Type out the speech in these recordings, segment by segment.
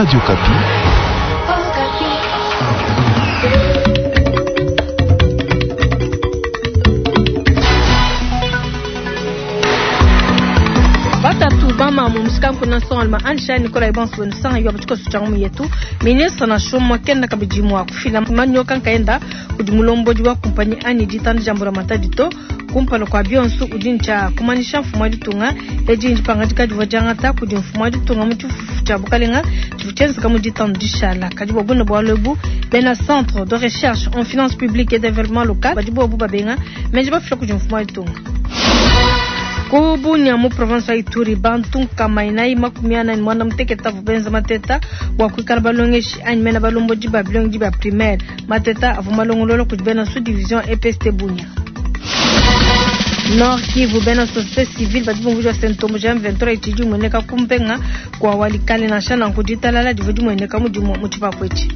Radio Okapi. Batatu bamamu musikanku na ansha Nicolas Ibonso wenu yo bachikoso cha ngumu yetu ministre na shomo kenda kabidi mwa kufila manyoka nkaenda kudi mulombodi wa kumpanyi ani ditanda jambura matadi to kumpala kwa bionso udi ntsha kumanisha mfumu wa ditunga edi ndipangadika divua diangata kudi mfumu wa ditunga mu tshifufu tshia bukalenga tshivua tshienzeka mu ditanu dishala kadi bua bune bualu ebu bena centre de recherche en finance publique et développement local badi bobu babenga menji bafila kudi mfumu wa ditunga. Ku Bunia mu province wa Ituri bantu nkama inayi 48 avua benza mateta bua kuikala balongeshi anyi mena balombodi ba bilongedi bia primaire. Mateta avua malongolola kudi bena sous division EPST Bunia. Nord Kivu bena société civile badi bumvuija se ntombo ja M23 itshidi imueneka kumpenga kua Walikale nansha nanku ditalala divua dimueneka mudimu mu tshipapu etshi.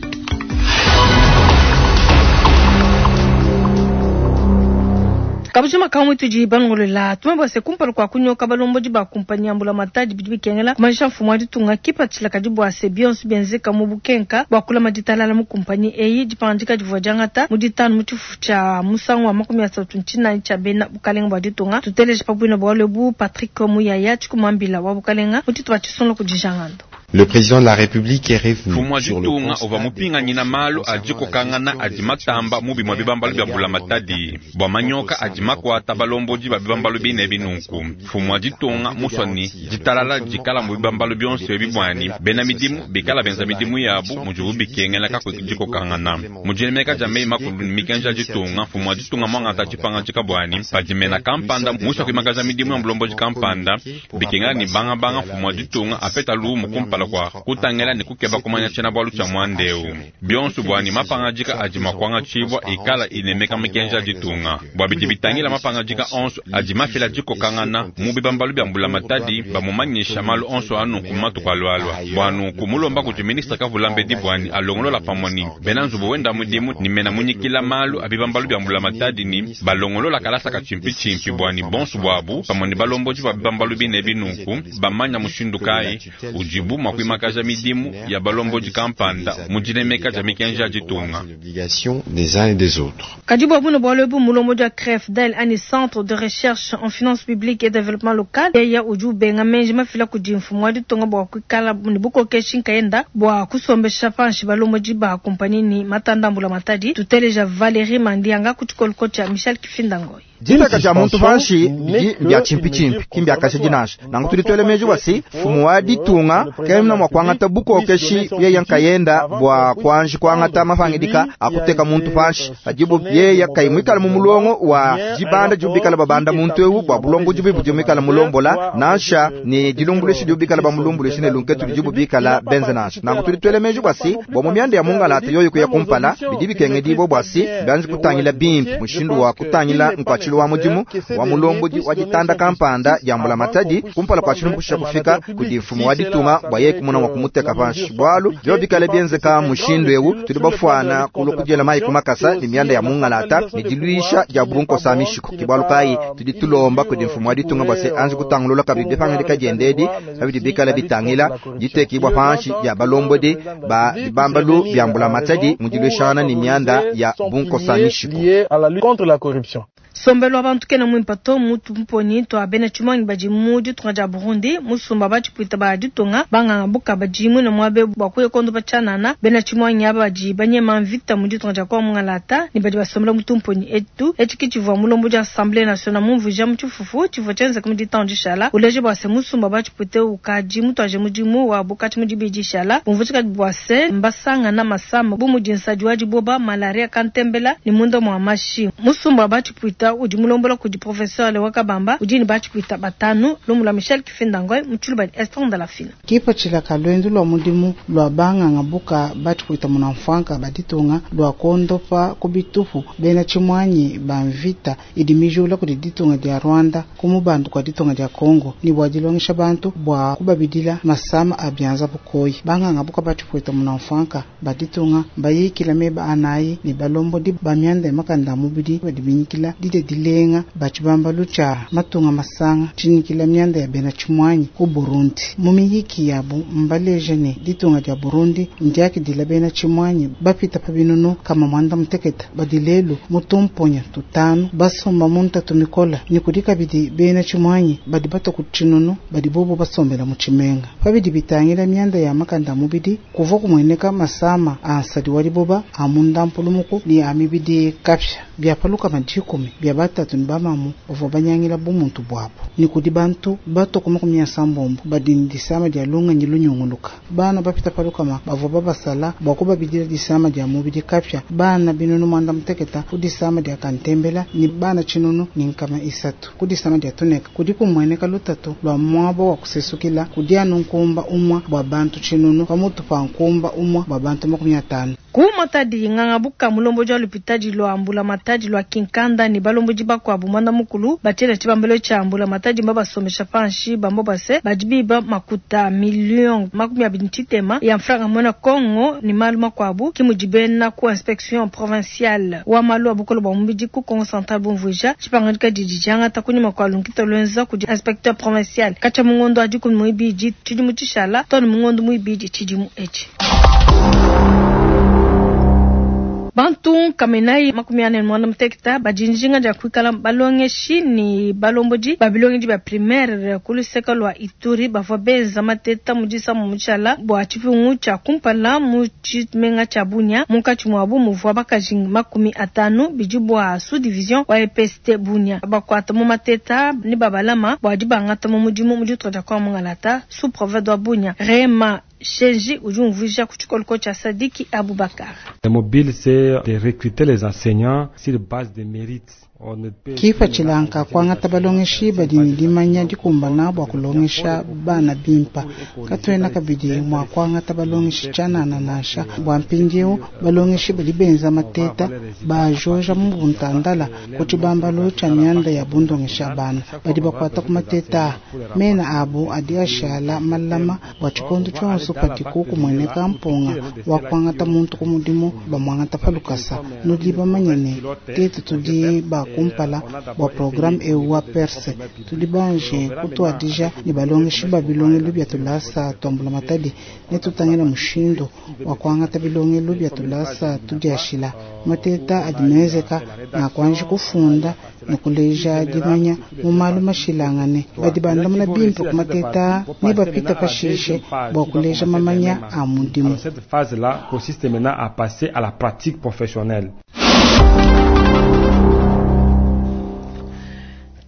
Kabujima kamwe tudi balongolola tumwe bua kumpala kua kunyoka balombodi ba kumpanyi ya mbulamatadi bidi bikengela kumanyisha mfumu wa ditunga kipatshila kadi bua se bionso bienzeka mu bukenka bua kulama ditalala mu kumpanyi eyi dipangadika divua diangata mu ditanu mu tshifufu tshia musangu wa 39 tshia bena bukalenga bua ditunga. Tuteleje pa bwina bualu ebu Patrick Muyaya tshikumambila wa bukalenga mu tshitupa tshisungula kudi Jangando. Le président de la République est revenu mfumu wa sur le ditunga constat uvua des mupinganyina forces malu concernant adi la kokangana gestion adi des matamba actions mu bimue bibambalu bia mbulamatadi bua manyoka adi makuata balombodi ba bibambalu bine binunku. Mfumu wa ditunga musua ni ditalala dikala mu bibambalu bionso ebi buani bena midimu bikala benza midimu yabu mudibu bikengela kakuyi dikokangana. Mu dinemeka dia meyi makulu ne mikenji ya ditunga, mfumu wa ditunga muangata tshipangadika buani padi mena kampanda musua kuimakaja midimu ya mulombodi kampanda bikengela ni bangabanga mfumu wa ditunga apeta lumu kumpala kua kutangela ne kukeba kumanya tshiena bualu tshia muanda eu. Bionso buani mapangadika adi makuangatshibua ikala inemeka mikenji ya ditunga. Bua bidi bitangila mapangadika onso adi mafila dikokangana mu bibambalu bia mbulamatadi bamumanyisha malu onso anunku mu matuku alualua. Bua nunku mulomba kudi ministre kavula mbedi buani alongolola pamue ni bena nzubu wenda mudimu ni mena munyikila malu a bibambalu bia mbulamatadi ni balongolola kalasa ka tshimpitshimpi buani bonso buabu pamue ni balombodi ba bibambalu bine binunku bamanya mushindu kayi udibu mua kuimakaja midimu ya balombodi kampanda mu dinemeka dia mikenji ya ditunga. L'obligation des uns et des autres. Kadi bua bune bualu ebu mulombodi wa CREFDEL ani centre de recherche en finance publique et développement local yeya udi ubenga menji mafila kudi mfumu wa ditunga bua kuikala ne bukokeshi nkayenda bua kusombesha panshi balombodi ba kumpanyi ni matanda mbulamatadi. Tuteleja Valérie Mandianga ku tshikoloko tshia Michel Kifindangoy. Diteka dia muntu panshi bidi mbia tshimpitshimpi ki mbiakasha dinasha nangu tudi tuele meji bua se mfumu wa ditunga kemna mua kuangata bukokeshi yeya nkayenda bua kuanji kuangata mapangidika akuteka muntu panshi adibu yeya kayi muikala mu mulongo wa dibanda dibu bikala babanda muntu ewu bua bulongodi bubi budi muikala mulombola nansha ni dilumbuluishi dibu bikala bamulumbuluishi ne lunketu dibu bikala benze nansha nangu tudi tuele meji bua se bua mu mianda ya mungalata yoyo kuya kumpala bidi bikengedibua bua se bianji kutangila bimpe mushindu wa kutangila nkuatshilu wa mudimu wa mulombodi wa ditanda kampanda dia mbulamatadi kumpala kua tshilumbu kushisha kufika kudi mfumu wa ditunga bua yeye kumuna mua kumuteka panshi bualu bio bikale bienzeka mushindu ewu tudi bafuana kulua kudiela mayi ku makasa ne mianda ya mungalata ne diluisha dia bunkosa mishiko ke bualu kayi tudi tulomba kudi mfumu wa ditunga bua se anji kutangulula kabidi dipangadika diende edi kabidi bikala bitangila ditekibua panshi dia balombodi ba bibambalu bia mbulamatadi mu diluishangana ne mianda ya bunkosa mishiko. Liée à la lutte contre la corruption. Sombelo wa bantu kena mwimpa to mutu mponyi to bena tshimangi badi mu ditunga dia Burundi musumba batshipuita ba ditunga banganga buka badi mwina muabe bua kuya kondo batshianana bena tshimangi aba badi banyema mvita mu ditunga dia kwa mungalata ne badi basombela mutu mponyi etu etshi ki tshivua mulombo dia Assemblée nationale mumvuija mu tshifufu tshivua tshienzeka mu ditanu dishala uleje bua se musumba batshipuite ukadi mutuaje mudimu wa bukatshi mu dibidi dishala bumvuija bua se mbasangana masama bu mudi nsadi wa diboba malaria kantembela ne munda mua mashi musumba batshipuita udi mulombola kudi professeur Lewa Kabamba udi ne batshipuita batanu lumula Michel Kifindangoy mu tshiluba Esther Ndalafina. Kipatshila ka luendu lua mudimu lua banganga buka batshipuita munamfuanka baditunga lua kondopa ku bitupu bena tshimuanyi ba mvita idi mijula kudi ditunga dia Rwanda ku mubandu kua ditunga dia Congo ni bua dilongesha bantu bua kubabidila masama a bianza bukoyi. Banganga buka batshipuita munamfuanka baditunga bayikila meba anayi ne balombodi ba mianda ya makanda a mubidi badi binyikila didia. didia dilenga ba tshibambalu tshia matunga masanga tshinyikila mianda ya bena tshimuanyi ku Burundi. Mu miyiki yabu mbaleja ne ditunga dia Burundi ndiakidila bena tshimuanyi bapita pa binunu kama mwanda muteketa badi lelu mu tumponya tutanu basomba mu ntatu mikola ne kudi kabidi bena tshimuanyi badi batua ku tshinunu badi bobo basombela mu tshimenga. Pabidi bitangila mianda ya makanda a mubidi kuvua kumueneka masama a nsadi wa diboba a mundampulumuku ne a mibidi kapia bia pa lukama 10 bia batatu ne bamamu bavua banyangila bumuntu buabu ne kudi bantu batua ku 80 badi ne disama dia lungenyi lunyunguluka. Bana bapita pa lukama bavua babasala bua kubabidila disama dia mubidi kapia bana binunu 60 ku disama dia kantembela ne bana 1300 ku disama dia tuneka. Kudi kumueneka lutatu lua muaba wa kusesukila kudi anu nkumba umwa bua bantu 1000 pamutu pa nkumba umwa bua bantu 50. Ku Matadi nganga buka mulombodi wa lupitadi lwa mbula Matadi lwa Kinkanda ne balombodi bakuabu mwanda mukulu batiela tshibambelo tshia mbula Matadi mbabasomesha panshi bambo base badi biba makuta million 23 ya mfranga mwena Kongo ni malu makuabu kimudi bena ku inspection provinciale wa malu abukolo bwa mubidi ku Kongo Central bumvuija tshipangadika didi diangata kunyima kua lunkita lwenza kudi inspecteur provincial kacha mungondo adi ku muibidi tshidimu tshishala to ne mungondo muibidi tshidimu etshi. Bantu kamenai 48 badi njinga dia kuikala balongeshi ni balombodi babilongedi ba primaire ku luseke lua Ituri bavua benza mateta mu disamu mutshala bua tshipungu tshia kumpala mu tshimenga tshia Bunia munkatshi muabu muvua bakaji 50 bidi bua sous division wa EPST Bunia bakuata mu mateta ni babalama bua dibangata mu mudimu mu ditunga dia kwa Mungalata sous province wa Bunia Rema Shenji udi umvuija ku tshikoloko tshia Sadiki Abubakar. Le mobile c'est de recruter les enseignants sur base de mérites. Kipa tshilanka kuangata balongeshi badi ne dimanya dikumbana bua kulongesha bana bimpa. Katuena kabidi mua kuangata balongeshi tshianana nansha bua mpindieu balongeshi badi benza mateta bajoja mu buntandala ku tshibambalu tshia mianda ya bundongesha bana badi bakuata ku mateta mena abu adi ashala malama bua tshikondo tshionso padiku kumueneka mpunga wa kuangata muntu ku mudimu bamuangata pa lukasa. Nudi bamanye ne tetu tudi ba kumpala bua programme eu wa perse tudi banje kutuadija ne balongeshi ba bilongelu bia tulasa tuambula matadi ne tutangila mushindu wa kuangata bilongelu bia tulasa tudiashila mateta adi menzeka na kuanji kufunda ne kuleja dimanya mu malu mashilangane badi bandamuna bimpe ku mateta ne bapita pashishe bua kuleja mamanya a mudimu. Cette phase-là consiste maintenant à passer à la pratique professionnelle.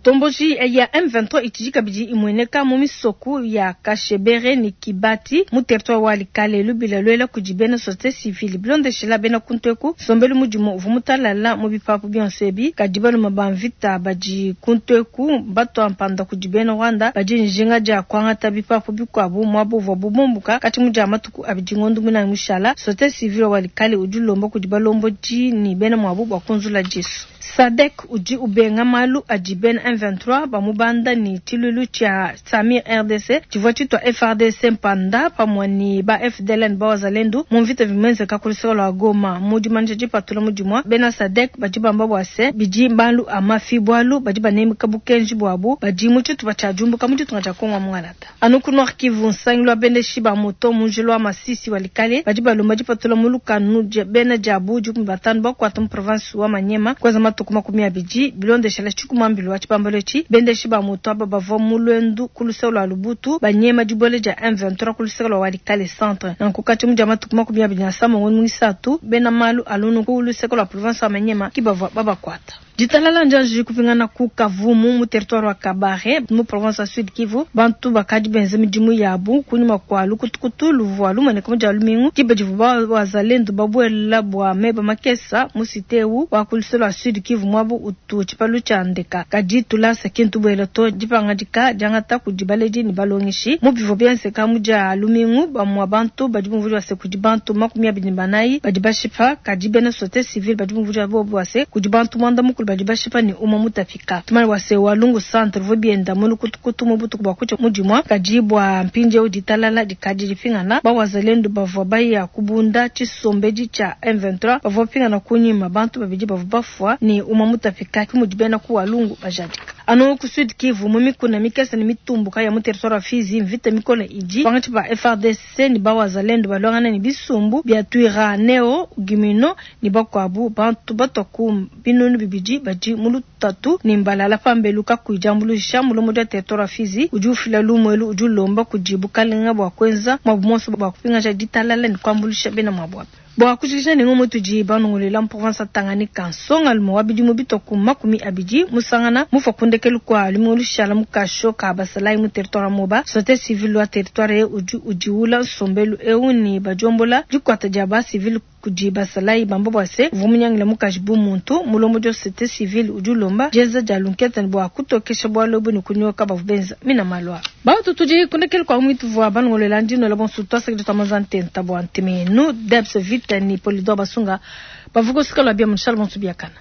Tomboji ya M23 itiji kabidi imweneka mu misoko ya Kashebere ni Kibati mu territoire wa Likale lubila lwela kudi bena société civile bilondeshela bena kunteku sombelu mudimu uvu mutalala mu bipapu bionso ebi kadi baluma ba mvita badi kunteku batwa mpanda kudi bena Rwanda badi njinga dia kuangata bipapu bikuabu muabu uvua bubumbuka kati mu dia matuku abidi ngondo munani mushala société civile wa Likale udi ulomba kudi balombodi ni bena muabu bua kunzula disu. Sadek udi ubenga malu adi bena M23 bamubanda ni tshilulu tshia Samir RDC tshivua tshitwa FARDC mpanda pamue ni ba FDLN ba wazalendo mu mvita vimenzeka ku luseke lua Goma mu dimanyisha dipatula mudimua bena Sadek badi bamba bua se bidi malu a mafi bualu badi banemeka bukenji buabu badi mu tshitupa tshia diumbuka mu ditunga dia Kongo Mungalata. Anu ku Nord Kivu nsangilu wa bendeshi ba moto mu njila wa Masisi wa Likale badi balomba dipatula mu lukanu bena diabu 15 bakuata mu province wa Maniema kwanza matuku 20 bilondeshela tshikumambilu wa tshibambalo etshi bendeshi ba moto aba bavua mu lwendu ku luseke lua Lubutu banyema dibuela dia M23 ku luseke lua Walikale centre nanku kati mu dia matuku 27 ngondo muisatu bena malu alunu ku luseke lua province wa Maniema ki bavua babakuata. Ditalala njanji kupingana ku Kavumu mu territoire wa Kabare mu province ya Sud Kivu bantu bakadi benze midimu yabu kunyuma kwa lukutukutu luvua lumoneka mu dia lumingu diba divua wazalendo babuela bua meba makesa mu siteu wa ku luseke lua Sud Kivu muabu utu tshipalu tshia ndeka kadi tulasa kintu buela to dipangadika diangata kudi baledi ne balongeshi mu bivua bienzeka mu dia lumingu bamua bantu badi bumvua se kudi bantu 24 badi bashipa kadi bena société civile badi bumvua bobu se kudi bantu 90 badi bashipa ne umua mutapika. Tumanya bua se Walungu centre uvua bienda mu lukutukutu mu butuku bua kutshia mu dimua, kadi bua mpindieu ditalala dikadi dipingana. Ba wazalendo bavua baya kubunda tshisombedi tshia M23 bavua bapingana kunyima, bantu babidi bavua bafua ne umua mutapika, ke mudi bena ku Walungu bajadika. Anu ku Sud Kivu, mu mikuna mikese ne mitumbuka ya mu territoire wa Fizi, mvita mikole idi pankatshi pa FARDC ne ba wazalendo baluangana ne bisumbu bia Twirwaneho, Gumino ne bakuabu. Bantu batua ku binunu bibidi badi mu lutatu ne mbalala pambelu kakuyi diambuluisha. Mulombodi wa territoire wa Fizi udi ufila lumu elu, udi ulomba kudi bukalenga bua kuenza muabu muonso bua kupingaja ditalala ne kuambuluisha bena muabu aba. Bua kujikija ne ngumu tudi banongoluela mu province wa Tanganyika, nsongalume wa bidimu bitua ku 20 musangana mufua ku ndekelu kua lumingu lushala mu kasho ka basalayi mu territoire wa Moba. Société civile wa territoire udi udiwula nsombelu eu ne badiombola dikuata dia ba civile kudi basalayi bamba bua se uvua munyangila mukaji bu muntu. Mulombodi wa société civile udi ulomba dienza dia lunkete bua kutokesha bualu ebu ne kunyoka bavua benza mina malu a. Bantu tudi ku ndekelu kua ngumu ituvua banongoluela ndinola bonso tuasakidila tua manza ntenta bua ntemenu Debs Vita ni Polidor Basunga bavua kusika lua bia munshala bonso biakana.